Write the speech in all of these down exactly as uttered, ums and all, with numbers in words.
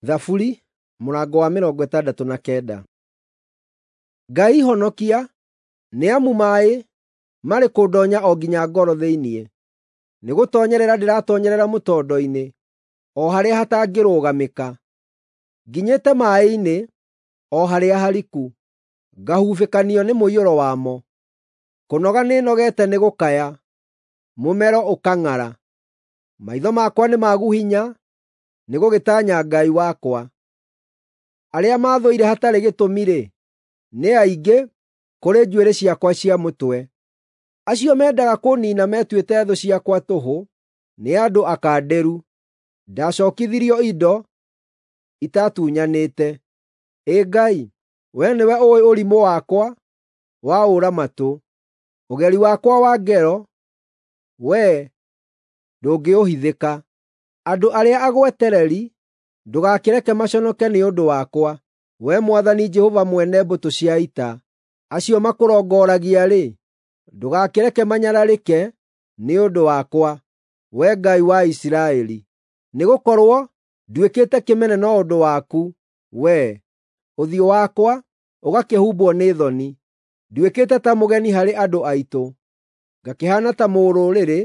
Thaburi mũrango wa mĩrongo ĩtandatũ na kenda. Ngai honokia, nĩ amu maaĩ marĩ kũndonya o nginya ngoro thĩinĩ. Nĩgũtoonyerera ndĩratoonyerera mũtondo-inĩ, o harĩa hatangĩrũgamĩka. Nginyĩte maaĩ-inĩ, o harĩa hariku, ngahubĩkanio nĩ mũiyũro wamo. Kũnoga nĩnogete nĩ gũkaya, mũmero ũkang'ara. Maitho makwa nĩ magu hinya nĩ gũgĩtanya Ngai wakwa. Arĩa maathũire hatarĩ gĩtũmi-rĩ, nĩ aingĩ kũrĩ njuĩrĩ ciakwa cia mũtwe. Acio mendaga kũniina metuĩte thũ ciakwa tũhũ, nĩ andũ akandĩru. Ndacookithirio indo itatunyanĩte. Ĩ Ngai, wee nĩwe ũũĩ ũrimũ wakwa wa ũũra-matũ; ũgeri wakwa wa ngero, wee ndũngĩũhithĩka. Andũ arĩa agwetereri ndũgakĩreke maconoke nĩ ũndũ wakwa, Wee Mwathani Jehova mwene mbũtũ cia ita. Acio makũrongoragia-rĩ, ndũgakĩreke manyararĩke nĩ ũndũ wakwa, Wee Ngai wa Isiraeli. Nĩgũkorwo nduĩkĩte kĩmene no ũndũ waku, Wee, ũthiũ wakwa ũgakĩhumbwo nĩ thoni. Nduĩkĩte ta mũgeni harĩ andũ aitũ, ngakĩhaana ta mũrũrĩrĩ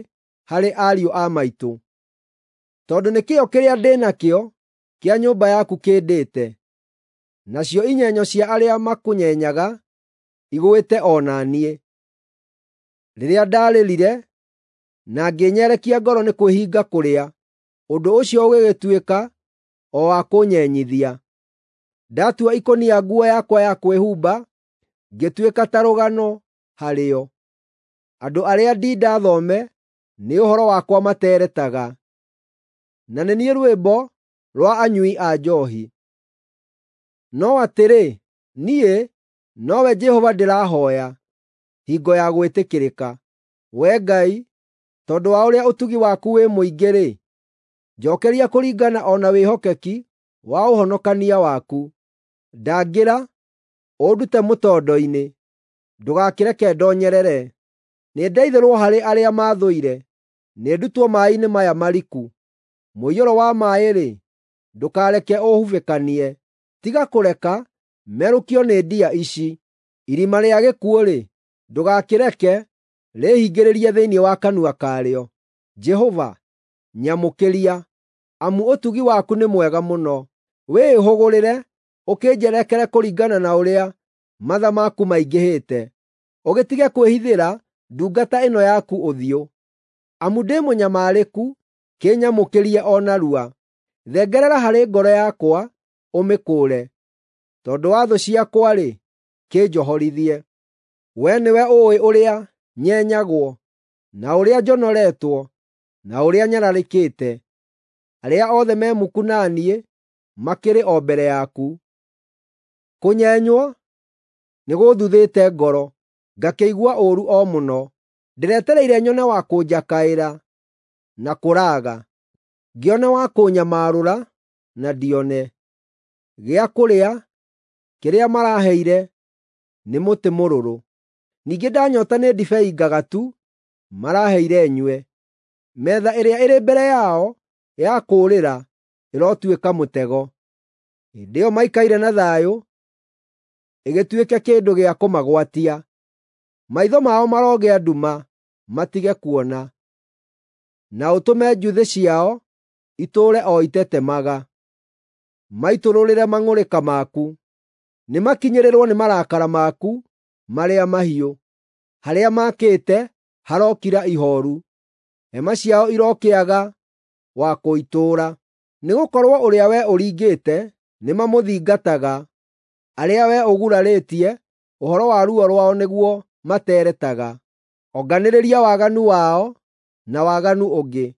harĩ ariũ a maitũ. Tondũ nĩ kĩyo kĩrĩa ndĩ nakĩo kĩa nyũmba yaku kĩndĩte, nacio inyenyo cia arĩa makũnyenyaga igũĩte o na niĩ. Rĩrĩa ndarĩrire na ngĩnyerekia ngoro nĩ kwĩhinga kũrĩa, ũndũ ũcio ũgĩgĩtuĩka o wa kũnyenyithia. Ndatua ikũnia nguo yakwa ya kwĩhumba, ngĩtuĩka ta rũgano harĩo. Andũ arĩa ndinda thome nĩ ũhoro wakwa materetaga, na nĩ niĩ rwĩmbo rwa anyui a njoohi. No atĩrĩ, niĩ nowe Jehova ndĩrahooya hingo ya gwĩtĩkĩrĩka. Wee Ngai, tondũ wa ũrĩa ũtugi waku wĩ mũingĩ-rĩ, njookeria kũringana o na wĩhokeki wa ũhonokania waku. Ndangĩra, ũndute mũtondo-inĩ, ndũgakĩreke ndoonyerere. Nĩndeithũrwo harĩ arĩa maathũire, nĩndutwo maaĩ-inĩ maya mariku. Mũiyũro wa maaĩ-rĩ, ndũkareke ũhubĩkanie. Tiga kũreka merũkio nĩ ndia ici. Irima rĩa gĩkuũ-rĩ, ndũgakĩreke rĩĩhingĩrĩrie thĩinĩ wa kanua karĩo. Jehova, nyamũkĩria, amu ũtugi waku nĩ mwega mũno. Wĩĩhũgũrĩre ũkĩnjerekere kũringana na ũrĩa matha maku maingĩhĩte, ũgĩtige kwĩhithĩra ndungata ĩno yaku ũthiũ. Amu ndĩ mũnyamarĩku, kĩnyamũkĩrie o narua. Thengerera harĩ ngoro yakwa ũmĩkũũre; tondũ wa thũ ciakwa-rĩ, kĩnjohorithie. Wee nĩwe ũũĩ ũrĩa nyenyagwo, na ũrĩa njonoretwo, na ũrĩa nyararĩkĩte. Arĩa othe me muku na niĩ makĩrĩ o mbere yaku. Kũnyenywo nĩgũũthuthĩte ngoro, ngakĩigua ũũru o mũno. Ndĩretereire nyone wa kũnjakaĩra, na kũraaga, ngĩone wa kũnyamarũra, na ndione. Gĩa kũrĩa kĩrĩa maraheire nĩ mũtĩ mũrũrũ, ningĩ ndanyoota nĩ ndibei ngagatu maraheire nyue. Metha ĩrĩa ĩrĩ mbere yao ya kũũrĩra ĩrotuĩka mũtego. Hĩndĩ ĩyo maikaire na thayũ, ĩgĩtuĩke kĩndũ gĩa kũmagwatia. Maitho mao marogĩa nduma matige kuona, na ũtũme njuthĩ ciao itũũre o itetemaga. Maitũrũrĩre mang'ũrĩka maku, nĩmakinyĩrĩrwo nĩ marakara maku marĩa mahiũ. Harĩa maakĩte harokira ihooru, hema ciao irokĩaga wa kũitũũra. Nĩgũkorwo ũrĩa wee ũringĩte nĩmamũthingataga, arĩa wee ũgurarĩtie, ũhoro wa ruo rwao nĩguo materetaga. Onganĩrĩria waganu wao na waganu ũngĩ,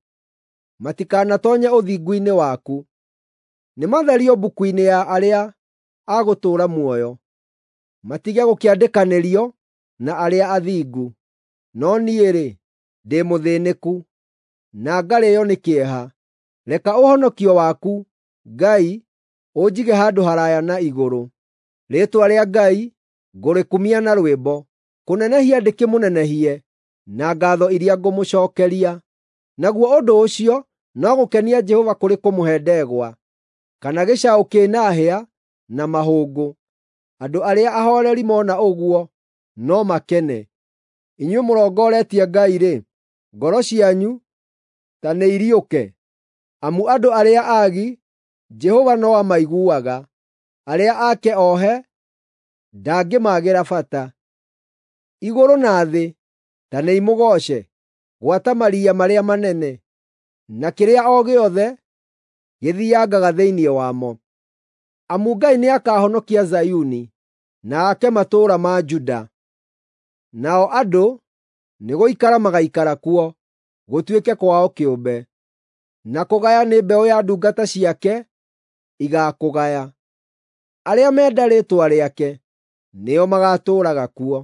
matikanatoonye ũthingu-inĩ waku. Nĩmatherio mbuku-inĩ ya arĩa a gũtũũra muoyo, matige gũkĩandĩkanĩrio na arĩa athingu. No niĩ-rĩ, ndĩ mũthĩnĩku, na ngarĩĩo nĩ kĩeha. Reka ũhonokio waku, Ngai, ũnjige handũ haraaya na igũrũ. Rĩĩtwa rĩa Ngai ngũrĩkumia na rwĩmbo, kũnenehia ndĩkĩmũnenehie na ngaatho iria ngũmũcookeria. Naguo ũndũ ũcio no gũkenia Jehova kũrĩ kũmũhe ndegwa. kana gĩcaũ kĩna hĩa na mahũngũ. Andũ arĩa ahooreri mona ũguo no makene. Inyuĩ mũrongoretie Ngai-rĩ, ngoro cianyu ta nĩiriũke! Amu andũ arĩa aagi, Jehova no amaiguaga, arĩa ake ohe ndangĩmaagĩra bata. Igũrũ na thĩ ta nĩimũgooce, gwata maria marĩa manene, na kĩrĩa o gĩothe gĩthiangaga thĩinĩ wamo. Amu Ngai nĩakahonokia Zayuni, na ake matũũra ma Juda. Nao andũ nĩgũikara magaikara kuo, gũtuĩke kwao kĩũmbe. Na kũgaya nĩ mbeũ ya ndungata ciake igaakũgaya. Arĩa menda rĩĩtwa rĩake nĩo magaatũũraga kuo.